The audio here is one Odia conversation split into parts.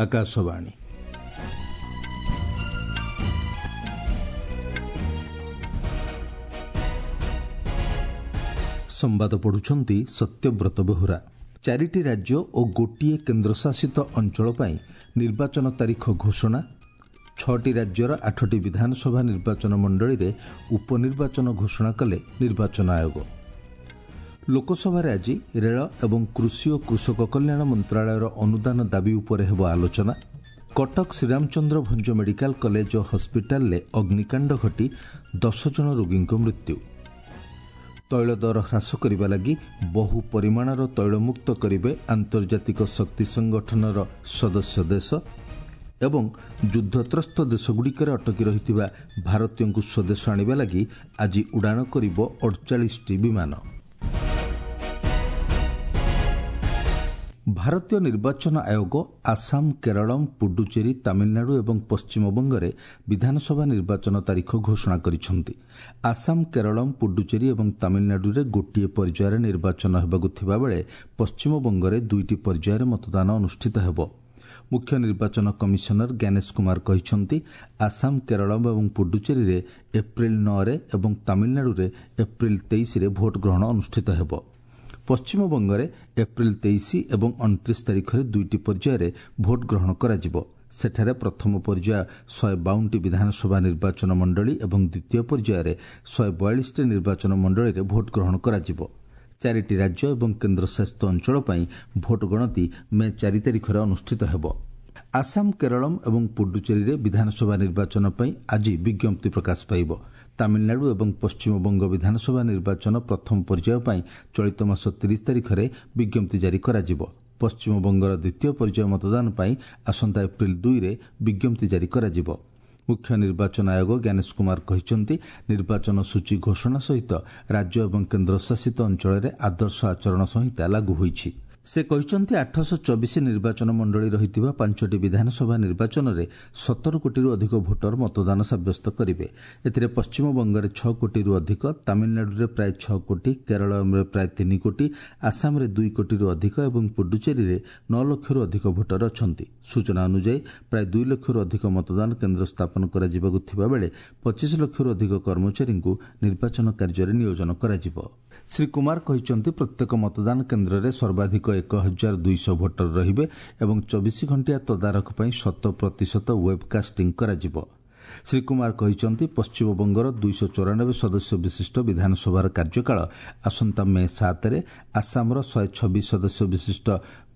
ଆକାଶବାଣୀ। ସମ୍ବାଦ ପଢୁଛନ୍ତି ସତ୍ୟବ୍ରତ ବେହୁରା। ଚାରିଟି ରାଜ୍ୟ ଓ ଗୋଟିଏ କେନ୍ଦ୍ରଶାସିତ ଅଞ୍ଚଳ ପାଇଁ ନିର୍ବାଚନ ତାରିଖ ଘୋଷଣା। 6ଟି ରାଜ୍ୟର 8ଟି ବିଧାନସଭା ନିର୍ବାଚନ ମଣ୍ଡଳୀରେ ଉପନିର୍ବାଚନ ଘୋଷଣା କଲେ ନିର୍ବାଚନ ଆୟୋଗ। ଲୋକସଭାରେ ଆଜି ରେଳ ଏବଂ କୃଷି ଓ କୃଷକ କଲ୍ୟାଣ ମନ୍ତ୍ରଣାଳୟର ଅନୁଦାନ ଦାବି ଉପରେ ହେବ ଆଲୋଚନା। କଟକ ଶ୍ରୀରାମଚନ୍ଦ୍ର ଭଞ୍ଜ ମେଡିକାଲ କଲେଜ ଓ ହସ୍ପିଟାଲରେ ଅଗ୍ନିକାଣ୍ଡ ଘଟି 10 ଜଣ ରୋଗୀଙ୍କ ମୃତ୍ୟୁ। ତୈଳ ଦର ହ୍ରାସ କରିବା ଲାଗି ବହୁ ପରିମାଣର ତୈଳମୁକ୍ତ କରିବେ ଆନ୍ତର୍ଜାତିକ ଶକ୍ତି ସଂଗଠନର ସଦସ୍ୟ ଦେଶ। ଏବଂ ଯୁଦ୍ଧତ୍ରସ୍ତ ଦେଶଗୁଡ଼ିକରେ ଅଟକି ରହିଥିବା ଭାରତୀୟଙ୍କୁ ସ୍ୱଦେଶ ଆଣିବା ଲାଗି ଆଜି ଉଡ଼ାଣ କରିବ 48ଟି ବିମାନ। ଭାରତୀୟ ନିର୍ବାଚନ ଆୟୋଗ ଆସାମ, କେରଳମ୍, ପୁଡୁଚେରୀ, ତାମିଲନାଡୁ ଏବଂ ପଶ୍ଚିମବଙ୍ଗରେ ବିଧାନସଭା ନିର୍ବାଚନ ତାରିଖ ଘୋଷଣା କରିଛନ୍ତି। ଆସାମ, କେରଳମ୍, ପୁଡୁଚେରୀ ଏବଂ ତାମିଲନାଡୁରେ ଗୋଟିଏ ପର୍ଯ୍ୟାୟରେ ନିର୍ବାଚନ ହେବାକୁ ଥିବାବେଳେ ପଶ୍ଚିମବଙ୍ଗରେ 2ଟି ପର୍ଯ୍ୟାୟରେ ମତଦାନ ଅନୁଷ୍ଠିତ ହେବ। ମୁଖ୍ୟ ନିର୍ବାଚନ କମିଶନର ଜ୍ଞାନେଶ କୁମାର କହିଛନ୍ତି, ଆସାମ, କେରଳମ୍ ଏବଂ ପୁଡୁଚେରୀରେ ଏପ୍ରିଲ 9ରେ ଏବଂ ତାମିଲନାଡୁରେ ଏପ୍ରିଲ 23ରେ ଭୋଟ ଗ୍ରହଣ ଅନୁଷ୍ଠିତ ହେବ। ପଶ୍ଚିମବଙ୍ଗରେ ଏପ୍ରିଲ 23 ଏବଂ 29 ତାରିଖରେ 2ଟି ପର୍ଯ୍ୟାୟରେ ଭୋଟ ଗ୍ରହଣ କରାଯିବ। ସେଠାରେ ପ୍ରଥମ ପର୍ଯ୍ୟାୟ 152ଟି ବିଧାନସଭା ନିର୍ବାଚନ ମଣ୍ଡଳୀ ଏବଂ ଦ୍ୱିତୀୟ ପର୍ଯ୍ୟାୟରେ 142ଟି ନିର୍ବାଚନ ମଣ୍ଡଳୀରେ ଭୋଟ ଗ୍ରହଣ କରାଯିବ। 4ଟି ରାଜ୍ୟ ଏବଂ କେନ୍ଦ୍ରଶାସିତ ଅଞ୍ଚଳ ପାଇଁ ଭୋଟ ଗଣତି ମେ 4 ତାରିଖରେ ଅନୁଷ୍ଠିତ ହେବ। ଆସାମ, କେରଳମ୍ ଏବଂ ପୁଡୁଚେରୀରେ ବିଧାନସଭା ନିର୍ବାଚନ ପାଇଁ ଆଜି ବିଜ୍ଞପ୍ତି ପ୍ରକାଶ ପାଇବ। ତାମିଲନାଡୁ ଏବଂ ପଶ୍ଚିମବଙ୍ଗ ବିଧାନସଭା ନିର୍ବାଚନ ପ୍ରଥମ ପର୍ଯ୍ୟାୟ ପାଇଁ ଚଳିତ ମାସ 30 ତାରିଖରେ ବିଜ୍ଞପ୍ତି ଜାରି କରାଯିବ। ପଶ୍ଚିମବଙ୍ଗର ଦ୍ୱିତୀୟ ପର୍ଯ୍ୟାୟ ମତଦାନ ପାଇଁ ଆସନ୍ତା ଏପ୍ରିଲ 2ରେ ବିଜ୍ଞପ୍ତି ଜାରି କରାଯିବ। ମୁଖ୍ୟ ନିର୍ବାଚନ ଆୟୋଗ ଜ୍ଞାନେଶ କୁମାର କହିଛନ୍ତି, ନିର୍ବାଚନ ସୂଚୀ ଘୋଷଣା ସହିତ ରାଜ୍ୟ ଏବଂ କେନ୍ଦ୍ରଶାସିତ ଅଞ୍ଚଳରେ ଆଦର୍ଶ ଆଚରଣ ସଂହିତା ଲାଗୁ ହୋଇଛି। ସେ କହିଛନ୍ତି, 824 ନିର୍ବାଚନ ମଣ୍ଡଳୀ ରହିଥିବା 5ଟି ବିଧାନସଭା ନିର୍ବାଚନରେ 17 କୋଟିରୁ ଅଧିକ ଭୋଟର ମତଦାନ ସାବ୍ୟସ୍ତ କରିବେ। ଏଥିରେ ପଶ୍ଚିମବଙ୍ଗରେ 6 କୋଟିରୁ ଅଧିକ, ତାମିଲନାଡୁରେ ପ୍ରାୟ 6 କୋଟି, କେରଳରେ ପ୍ରାୟ 3 କୋଟି, ଆସାମରେ 2 କୋଟିରୁ ଅଧିକ ଏବଂ ପୁଡୁଚେରୀରେ 9 ଲକ୍ଷରୁ ଅଧିକ ଭୋଟର ଅଛନ୍ତି। ସୂଚନା ଅନୁଯାୟୀ ପ୍ରାୟ 2 ଲକ୍ଷରୁ ଅଧିକ ମତଦାନ କେନ୍ଦ୍ର ସ୍ଥାପନ କରାଯିବାକୁ ଥିବାବେଳେ 25 ଲକ୍ଷରୁ ଅଧିକ କର୍ମଚାରୀଙ୍କୁ ନିର୍ବାଚନ କାର୍ଯ୍ୟରେ ନିୟୋଜନ କରାଯିବ। ଶ୍ରୀ କୁମାର କହିଛନ୍ତି, ପ୍ରତ୍ୟେକ ମତଦାନ କେନ୍ଦ୍ରରେ ସର୍ବାଧିକ 1200 ଭୋଟର ରହିବେ ଏବଂ 24 ଘଣ୍ଟିଆ ତଦାରଖ ପାଇଁ 100% ୱେବ୍କାଷ୍ଟିଂ କରାଯିବ। ଶ୍ରୀ କୁମାର କହିଛନ୍ତି, ପଶ୍ଚିମବଙ୍ଗର 294 ସଦସ୍ୟ ବିଶିଷ୍ଟ ବିଧାନସଭାର କାର୍ଯ୍ୟକାଳ ଆସନ୍ତା ମେ 7ରେ, ଆସାମର 126 ସଦସ୍ୟ ବିଶିଷ୍ଟ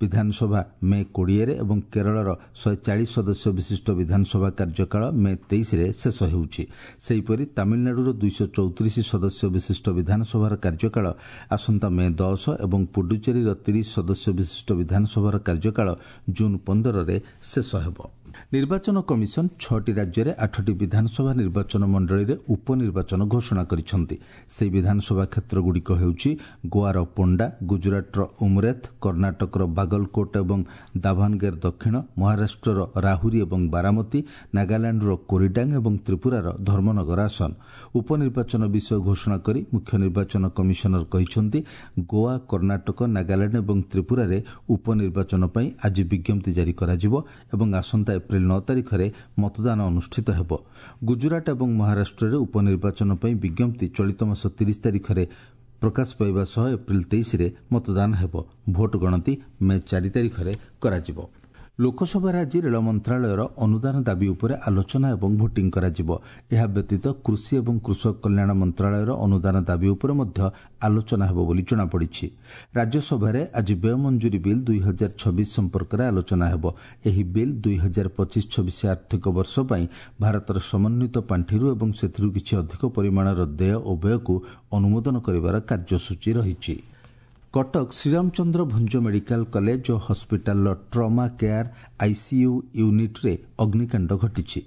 ବିଧାନସଭା ମେ 20ରେ ଏବଂ କେରଳର 140 ସଦସ୍ୟ ବିଶିଷ୍ଟ ବିଧାନସଭା କାର୍ଯ୍ୟକାଳ ମେ 23ରେ ଶେଷ ହେଉଛି। ସେହିପରି ତାମିଲନାଡୁର 234 ସଦସ୍ୟ ବିଶିଷ୍ଟ ବିଧାନସଭାର କାର୍ଯ୍ୟକାଳ ଆସନ୍ତା ମେ 10 ଏବଂ ପୁଡୁଚେରୀର 30 ସଦସ୍ୟ ବିଶିଷ୍ଟ ବିଧାନସଭାର କାର୍ଯ୍ୟକାଳ ଜୁନ୍ 15ରେ ଶେଷ ହେବ। ନିର୍ବାଚନ କମିଶନ 6ଟି ରାଜ୍ୟରେ 8ଟି ବିଧାନସଭା ନିର୍ବାଚନ ମଣ୍ଡଳୀରେ ଉପନିର୍ବାଚନ ଘୋଷଣା କରିଛନ୍ତି। ସେହି ବିଧାନସଭା କ୍ଷେତ୍ରଗୁଡ଼ିକ ହେଉଛି ଗୋଆର ପୋଣ୍ଡା, ଗୁଜରାଟର ଉମରେଥ, କର୍ଣ୍ଣାଟକର ବାଗଲକୋଟ ଏବଂ ଦାଭାନଗେର ଦକ୍ଷିଣ, ମହାରାଷ୍ଟ୍ରର ରାହୁରୀ ଏବଂ ବାରାମତୀ, ନାଗାଲାଣ୍ଡର କୋରିଡାଙ୍ଗ ଏବଂ ତ୍ରିପୁରାର ଧର୍ମନଗର ଆସନ। ଉପନିର୍ବାଚନ ବିଷୟ ଘୋଷଣା କରି ମୁଖ୍ୟ ନିର୍ବାଚନ କମିଶନର କହିଛନ୍ତି, ଗୋଆ, କର୍ଣ୍ଣାଟକ, ନାଗାଲାଣ୍ଡ ଏବଂ ତ୍ରିପୁରାରେ ଉପନିର୍ବାଚନ ପାଇଁ ଆଜି ବିଜ୍ଞପ୍ତି ଜାରି କରାଯିବ ଏବଂ ଆସନ୍ତା ଏପ୍ରିଲ 9 ତାରିଖରେ ମତଦାନ ଅନୁଷ୍ଠିତ ହେବ। ଗୁଜରାଟ ଏବଂ ମହାରାଷ୍ଟ୍ରରେ ଉପନିର୍ବାଚନ ପାଇଁ ବିଜ୍ଞପ୍ତି ଚଳିତ ମାସ 30 ତାରିଖରେ ପ୍ରକାଶ ପାଇବା ସହ ଏପ୍ରିଲ 23ରେ ମତଦାନ ହେବ। ଭୋଟ ଗଣତି ମେ 4 ତାରିଖରେ କରାଯିବ। ଲୋକସଭାରେ ଆଜି ରେଳ ମନ୍ତ୍ରଣାଳୟର ଅନୁଦାନ ଦାବି ଉପରେ ଆଲୋଚନା ଏବଂ ଭୋଟିଂ କରାଯିବ। ଏହା ବ୍ୟତୀତ କୃଷି ଏବଂ କୃଷକ କଲ୍ୟାଣ ମନ୍ତ୍ରଣାଳୟର ଅନୁଦାନ ଦାବି ଉପରେ ମଧ୍ୟ ଆଲୋଚନା ହେବ ବୋଲି ଜଣାପଡ଼ିଛି। ରାଜ୍ୟସଭାରେ ଆଜି ବ୍ୟୟ ମଞ୍ଜୁରୀ ବିଲ୍ 2026 ସମ୍ପର୍କରେ ଆଲୋଚନା ହେବ। ଏହି ବିଲ୍ 2025-26 ଆର୍ଥିକ ବର୍ଷ ପାଇଁ ଭାରତର ସମନ୍ୱିତ ପାଣ୍ଠିରୁ ଏବଂ ସେଥିରୁ କିଛି ଅଧିକ ପରିମାଣର ଦେୟ ଓ ବ୍ୟୟକୁ ଅନୁମୋଦନ କରିବାର କାର୍ଯ୍ୟସୂଚୀ ରହିଛି। କଟକ ଶ୍ରୀରାମଚନ୍ଦ୍ର ଭଞ୍ଜ ମେଡିକାଲ କଲେଜ ଓ ହସ୍ପିଟାଲର ଟ୍ରମା କେୟାର ଆଇସିୟୁ ୟୁନିଟ୍ରେ ଅଗ୍ନିକାଣ୍ଡ ଘଟିଛି।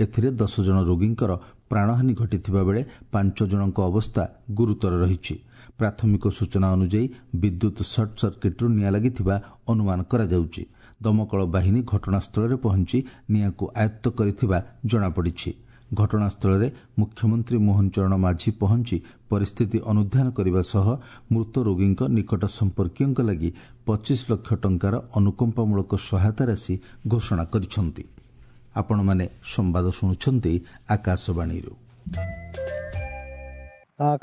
ଏଥିରେ 10 ଜଣ ରୋଗୀଙ୍କର ପ୍ରାଣହାନି ଘଟିଥିବା ବେଳେ 5 ଜଣଙ୍କ ଅବସ୍ଥା ଗୁରୁତର ରହିଛି। ପ୍ରାଥମିକ ସୂଚନା ଅନୁଯାୟୀ ବିଦ୍ୟୁତ୍ ସର୍ଟ ସର୍କିଟ୍ରୁ ନିଆଁ ଲାଗିଥିବା ଅନୁମାନ କରାଯାଉଛି। ଦମକଳ ବାହିନୀ ଘଟଣାସ୍ଥଳରେ ପହଞ୍ଚି ନିଆଁକୁ ଆୟତ୍ତ କରିଥିବା ଜଣାପଡ଼ିଛି। ଘଟଣାସ୍ଥଳରେ ମୁଖ୍ୟମନ୍ତ୍ରୀ ମୋହନ ଚରଣ ମାଝୀ ପହଞ୍ଚି ପରିସ୍ଥିତି ଅନୁଧ୍ୟାନ କରିବା ସହ ମୃତ ରୋଗୀଙ୍କ ନିକଟ ସମ୍ପର୍କୀୟଙ୍କ ଲାଗି 25 ଲକ୍ଷ ଟଙ୍କାର ଅନୁକମ୍ପାମୂଳକ ସହାୟତା ରାଶି ଘୋଷଣା କରିଛନ୍ତି। ଆପଣମାନେ ସମ୍ବାଦ ଶୁଣୁଛନ୍ତି ଆକାଶବାଣୀରୁ।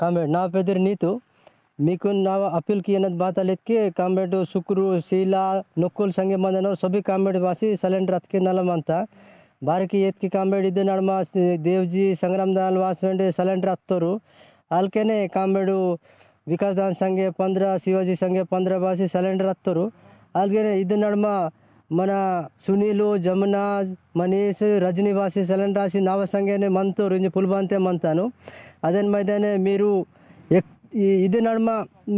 ಕಾಮ್ರೇಡ್ ನಾ ಪೆದಿರ್ ನೀತು मीकुन ना अपील की बात के कामरेड सुक्रू शीला नुकुल संगे मंदनवर सभी कामरेड वासी सिलेंडर अतके नलम ಅಂತ ಬಾರಕಿ ಎತ್ಕಿ ಕಾಮ್ರೇಡ್ ಇದು ನಡ್ಮ ದೇವ್ಜಿ ಸಂಗ್ರಾಮದಾಲ್ ವಾಸವೆಂಡೆ ಸಿಲೆಂಡರ್ ಹತ್ತೋರು ಅಲ್ಕೆನೆ ಕಾಮ್ರೇಡು ವಿಕಾಸ್ ದಾನ್ ಸಂಗೆ 15 ಶಿವಾಜಿ ಸಂಗೆ 15 ವಾಸಿ ಸಿಲೆಂಡರ್ ಹತ್ತೋರು ಅಲ್ಗೆನೆ ಇದು ನಡ್ಮ మన ಸುನೀಲು ಜಮುನಾ మనీష్ రజనీ వాసి సిలిండర్ రాసి నావ సంగేనే మంతోరు ఇంజ పుల్బంతే మంతాను అదే మైదానే మీరు ఇది నడుమ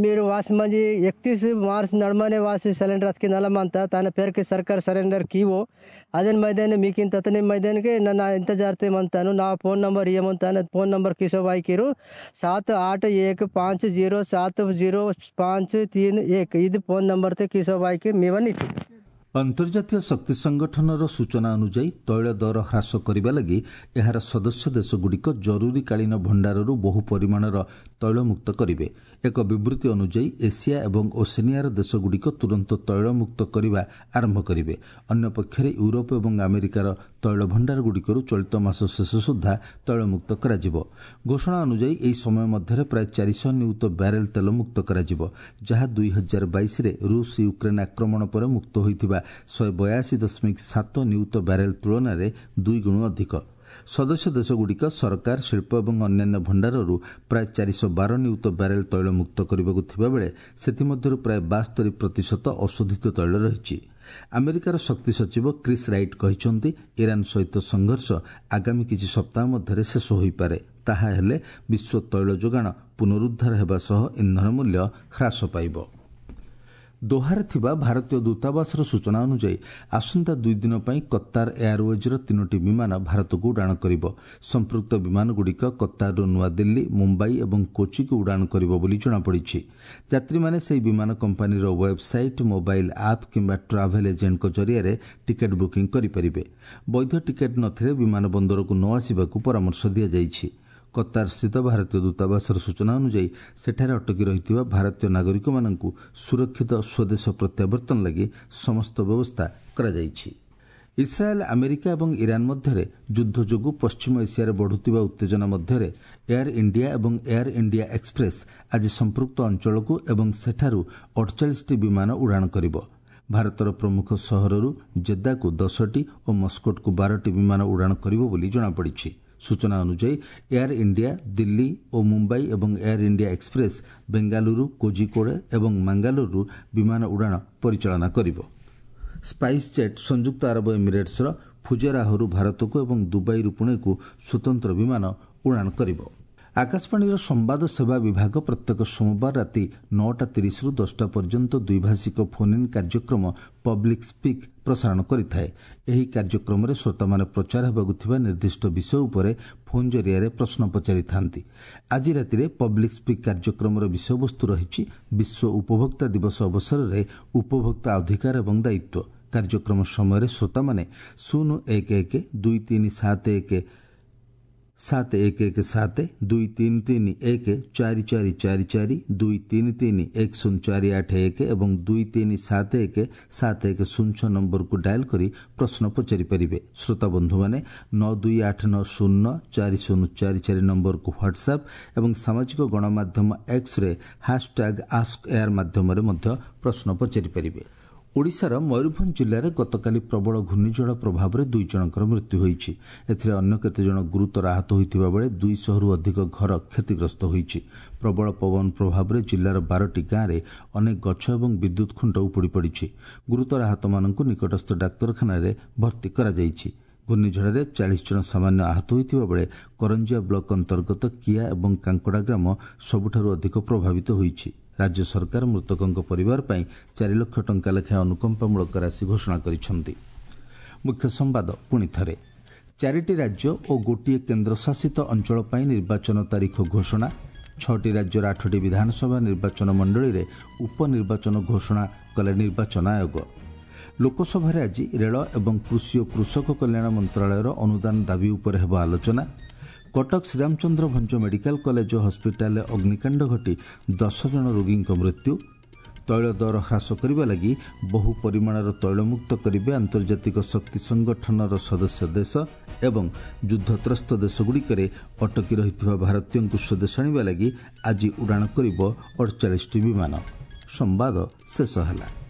మీరు వాసి మంచి 31 మార్చ్ నడుమనే వాసి సిలిండర్ అతికి నలమంత తన పేరుకి సర్కార్ సిలిండర్ కీవో అదే మైదానే మీకు ఇంత అతని మైదానికి నన్ను ఎంత జాగ్రత్త నా ఫోన్ నంబర్ ఇవ్వమంతాను ఫోన్ నంబర్ కిషోబాయికిరు 7 8 1 5 0 7 0 5 3 1 ఇది ఫోన్ నంబర్ కిషోబాయికి మీవన్నీ। ଅନ୍ତର୍ଜାତୀୟ ଶକ୍ତି ସଂଗଠନର ସୂଚନା ଅନୁଯାୟୀ ତୈଳ ଦର ହ୍ରାସ କରିବା ଲାଗି ଏହାର ସଦସ୍ୟ ଦେଶଗୁଡ଼ିକ ଜରୁରୀକାଳୀନ ଭଣ୍ଡାରରୁ ବହୁ ପରିମାଣର ତୈଳମୁକ୍ତ କରିବେ। ଏକ ବିବୃତ୍ତି ଅନୁଯାୟୀ ଏସିଆ ଏବଂ ଓସେନିଆର ଦେଶଗୁଡ଼ିକ ତୁରନ୍ତ ତୈଳମୁକ୍ତ କରିବା ଆରମ୍ଭ କରିବେ। ଅନ୍ୟପକ୍ଷରେ ୟୁରୋପ ଏବଂ ଆମେରିକାର ତୈଳ ଭଣ୍ଡାରଗୁଡ଼ିକରୁ ଚଳିତ ମାସ ଶେଷ ସୁଦ୍ଧା ତୈଳମୁକ୍ତ କରାଯିବ। ଘୋଷଣା ଅନୁଯାୟୀ ଏହି ସମୟ ମଧ୍ୟରେ ପ୍ରାୟ 400 ନିୟୁତ ବ୍ୟାରେଲ ତେଲ ମୁକ୍ତ କରାଯିବ, ଯାହା 2022ରେ ରୁଷ ୟୁକ୍ରେନ୍ ଆକ୍ରମଣ ପରେ ମୁକ୍ତ ହୋଇଥିବା 182.7 ନିୟୁତ ବ୍ୟାରେଲ ତୁଳନାରେ ଦୁଇଗୁଣ ଅଧିକ। ସଦସ୍ୟ ଦେଶଗୁଡ଼ିକ ସରକାର, ଶିଳ୍ପ ଏବଂ ଅନ୍ୟାନ୍ୟ ଭଣ୍ଡାରରୁ ପ୍ରାୟ 412 ନିୟୁତ ବ୍ୟାରେଲ ତୈଳ ମୁକ୍ତ କରିବାକୁ ଥିବାବେଳେ ସେଥିମଧ୍ୟରୁ ପ୍ରାୟ 72% ଅଶୋଧିତ ତୈଳ ରହିଛି। ଆମେରିକାର ଶକ୍ତି ସଚିବ କ୍ରିସ୍ ରାଇଟ୍ କହିଛନ୍ତି, ଇରାନ୍ ସହିତ ସଂଘର୍ଷ ଆଗାମୀ କିଛି ସପ୍ତାହ ମଧ୍ୟରେ ଶେଷ ହୋଇପାରେ। ତାହା ହେଲେ ବିଶ୍ୱ ତୈଳ ଯୋଗାଣ ପୁନରୁଦ୍ଧାର ହେବା ସହ ଇନ୍ଧନ ମୂଲ୍ୟ ହ୍ରାସ ପାଇବ। ଦୋହାରେ ଥିବା ଭାରତୀୟ ଦୂତାବାସର ସୂଚନା ଅନୁଯାୟୀ ଆସନ୍ତା 2 ଦିନ ପାଇଁ କତାର ଏୟାରୱେଜ୍ର 3ଟି ବିମାନ ଭାରତକୁ ଉଡ଼ାଣ କରିବ। ସମ୍ପୃକ୍ତ ବିମାନଗୁଡ଼ିକ କତାରରୁ ନୂଆଦିଲ୍ଲୀ, ମୁମ୍ବାଇ ଏବଂ କୋଚିକୁ ଉଡ଼ାଣ କରିବ ବୋଲି ଜଣାପଡ଼ିଛି। ଯାତ୍ରୀମାନେ ସେହି ବିମାନ କମ୍ପାନୀର ୱେବ୍ସାଇଟ୍, ମୋବାଇଲ୍ ଆପ୍ କିମ୍ବା ଟ୍ରାଭେଲ୍ ଏଜେଣ୍ଟଙ୍କ ଜରିଆରେ ଟିକେଟ୍ ବୁକିଂ କରିପାରିବେ। ବୈଧ ଟିକେଟ୍ ନଥିଲେ ବିମାନ ବନ୍ଦରକୁ ନ ଆସିବାକୁ ପରାମର୍ଶ ଦିଆଯାଇଛି। କତାରସ୍ଥିତ ଭାରତୀୟ ଦୂତାବାସର ସୂଚନା ଅନୁଯାୟୀ ସେଠାରେ ଅଟକି ରହିଥିବା ଭାରତୀୟ ନାଗରିକମାନଙ୍କୁ ସୁରକ୍ଷିତ ସ୍ୱଦେଶ ପ୍ରତ୍ୟାବର୍ତ୍ତନ ଲାଗି ସମସ୍ତ ବ୍ୟବସ୍ଥା କରାଯାଇଛି। ଇସ୍ରାଏଲ୍, ଆମେରିକା ଏବଂ ଇରାନ୍ ମଧ୍ୟରେ ଯୁଦ୍ଧ ଯୋଗୁଁ ପଶ୍ଚିମ ଏସିଆରେ ବଢ଼ୁଥିବା ଉତ୍ତେଜନା ମଧ୍ୟରେ ଏୟାର ଇଣ୍ଡିଆ ଏବଂ ଏୟାର ଇଣ୍ଡିଆ ଏକ୍ସପ୍ରେସ୍ ଆଜି ସମ୍ପୃକ୍ତ ଅଞ୍ଚଳକୁ ଏବଂ ସେଠାରୁ 48ଟି ବିମାନ ଉଡ଼ାଣ କରିବ। ଭାରତର ପ୍ରମୁଖ ସହରରୁ ଜେଦ୍ଦାକୁ 10ଟି ଓ ମସ୍କୋଟକୁ 12ଟି ବିମାନ ଉଡ଼ାଣ କରିବ ବୋଲି ଜଣାପଡ଼ିଛି। ସୂଚନା ଅନୁଯାୟୀ ଏୟାର ଇଣ୍ଡିଆ ଦିଲ୍ଲୀ ଓ ମୁମ୍ବାଇ ଏବଂ air India express Bengaluru, Kozhikode ଏବଂ ମାଙ୍ଗାଲୋରରୁ ବିମାନ ଉଡ଼ାଣ ପରିଚାଳନା କରିବ। ସ୍ପାଇସ୍ ଜେଟ୍ ସଂଯୁକ୍ତ ଆରବ ଏମିରେଟ୍ସର ଫୁଜେରାହରୁ ଭାରତକୁ ଏବଂ ଦୁବାଇରୁ ପୁଣେକୁ ସ୍ୱତନ୍ତ୍ର ବିମାନ ଉଡ଼ାଣ କରିବ। ଆକାଶବାଣୀର ସମ୍ବାଦ ସେବା ବିଭାଗ ପ୍ରତ୍ୟେକ ସୋମବାର ରାତି 9:30ରୁ 10ଟା ପର୍ଯ୍ୟନ୍ତ ଦ୍ୱିଭାଷିକ ଫୋନ୍ ଇନ୍ କାର୍ଯ୍ୟକ୍ରମ ପବ୍ଲିକ୍ ସ୍ପିକ୍ ପ୍ରସାରଣ କରିଥାଏ। ଏହି କାର୍ଯ୍ୟକ୍ରମରେ ଶ୍ରୋତାମାନେ ପ୍ରଚାର ହେବାକୁ ଥିବା ନିର୍ଦ୍ଦିଷ୍ଟ ବିଷୟ ଉପରେ ଫୋନ୍ ଜରିଆରେ ପ୍ରଶ୍ନ ପଚାରିଥାନ୍ତି। ଆଜି ରାତିରେ ପବ୍ଲିକ୍ ସ୍ପିକ୍ କାର୍ଯ୍ୟକ୍ରମର ବିଷୟବସ୍ତୁ ରହିଛି ବିଶ୍ୱ ଉପଭୋକ୍ତା ଦିବସ ଅବସରରେ ଉପଭୋକ୍ତା ଅଧିକାର ଏବଂ ଦାୟିତ୍ୱ। କାର୍ଯ୍ୟକ୍ରମ ସମୟରେ ଶ୍ରୋତାମାନେ 0 1 1 2 3 7 1 7 1 1 7 2 3 3 1 4 4 4 4 2 3 3 1 0 4 8 1 ଏବଂ 2 3 7 1 7 1 0 6 ନମ୍ବରକୁ ଡାଏଲ୍ କରି ପ୍ରଶ୍ନ ପଚାରିପାରିବେ। ଶ୍ରୋତା ବନ୍ଧୁମାନେ 9 2 8 9 0 4 0 4 4 ନମ୍ବରକୁ ହ୍ୱାଟ୍ସଆପ୍ ଏବଂ ସାମାଜିକ ଗଣମାଧ୍ୟମ ଏକ୍ସରେ ହ୍ୟାସ୍ଟ୍ୟାଗ୍ ଆସ୍କ ଏୟାର ମାଧ୍ୟମରେ ମଧ୍ୟ ପ୍ରଶ୍ନ ପଚାରିପାରିବେ। ଓଡ଼ିଶାର ମୟୂରଭଞ୍ଜ ଜିଲ୍ଲାରେ ଗତକାଲି ପ୍ରବଳ ଘୂର୍ଣ୍ଣିଝଡ଼ ପ୍ରଭାବରେ 2 ଜଣଙ୍କର ମୃତ୍ୟୁ ହୋଇଛି। ଏଥିରେ ଅନ୍ୟ କେତେଜଣ ଗୁରୁତର ଆହତ ହୋଇଥିବା ବେଳେ 200ରୁ ଅଧିକ ଘର କ୍ଷତିଗ୍ରସ୍ତ ହୋଇଛି। ପ୍ରବଳ ପବନ ପ୍ରଭାବରେ ଜିଲ୍ଲାର 12ଟି ଗାଁରେ ଅନେକ ଗଛ ଏବଂ ବିଦ୍ୟୁତ୍ ଖୁଣ୍ଟ ଉପୁଡ଼ି ପଡ଼ିଛି। ଗୁରୁତର ଆହତମାନଙ୍କୁ ନିକଟସ୍ଥ ଡାକ୍ତରଖାନାରେ ଭର୍ତ୍ତି କରାଯାଇଛି। ଘୂର୍ଣ୍ଣିଝଡ଼ରେ 40 ଜଣ ସାମାନ୍ୟ ଆହତ ହୋଇଥିବା ବେଳେ କରଞ୍ଜିଆ ବ୍ଲକ ଅନ୍ତର୍ଗତ କିଆ ଏବଂ କାଙ୍କଡ଼ା ଗ୍ରାମ ସବୁଠାରୁ ଅଧିକ ପ୍ରଭାବିତ ହୋଇଛି। ରାଜ୍ୟ ସରକାର ମୃତକଙ୍କ ପରିବାର ପାଇଁ 4 ଲକ୍ଷ ଟଙ୍କା ଲେଖାଏଁ ଅନୁକମ୍ପାମୂଳକ ରାଶି ଘୋଷଣା କରିଛନ୍ତି। ମୁଖ୍ୟ ସମ୍ବାଦ ପୁଣି ଥରେ। 4ଟି ରାଜ୍ୟ ଓ ଗୋଟିଏ କେନ୍ଦ୍ରଶାସିତ ଅଞ୍ଚଳ ପାଇଁ ନିର୍ବାଚନ ତାରିଖ ଘୋଷଣା। 6ଟି ରାଜ୍ୟର 8ଟି ବିଧାନସଭା ନିର୍ବାଚନ ମଣ୍ଡଳୀରେ ଉପନିର୍ବାଚନ ଘୋଷଣା କଲେ ନିର୍ବାଚନ ଆୟୋଗ। ଲୋକସଭାରେ ଆଜି ରେଳ ଏବଂ କୃଷି ଓ କୃଷକ କଲ୍ୟାଣ ମନ୍ତ୍ରଣାଳୟର ଅନୁଦାନ ଦାବି ଉପରେ ହେବ ଆଲୋଚନା। କଟକ ଶ୍ରୀରାମଚନ୍ଦ୍ର ଭଞ୍ଜ ମେଡିକାଲ କଲେଜ ଓ ହସ୍ପିଟାଲରେ ଅଗ୍ନିକାଣ୍ଡ ଘଟି 10 ଜଣ ରୋଗୀଙ୍କ ମୃତ୍ୟୁ। ତୈଳ ଦର ହ୍ରାସ କରିବା ଲାଗି ବହୁ ପରିମାଣର ତୈଳମୁକ୍ତ କରିବେ ଆନ୍ତର୍ଜାତିକ ଶକ୍ତି ସଂଗଠନର ସଦସ୍ୟ ଦେଶ ଏବଂ ଯୁଦ୍ଧତ୍ରସ୍ତ ଦେଶଗୁଡ଼ିକରେ ଅଟକି ରହିଥିବା ଭାରତୀୟଙ୍କୁ ସ୍ୱଦେଶ ଆଣିବା ଲାଗି ଆଜି ଉଡ଼ାଣ କରିବ 48ଟି ବିମାନ। ସମ୍ବାଦ ଶେଷ ହେଲା।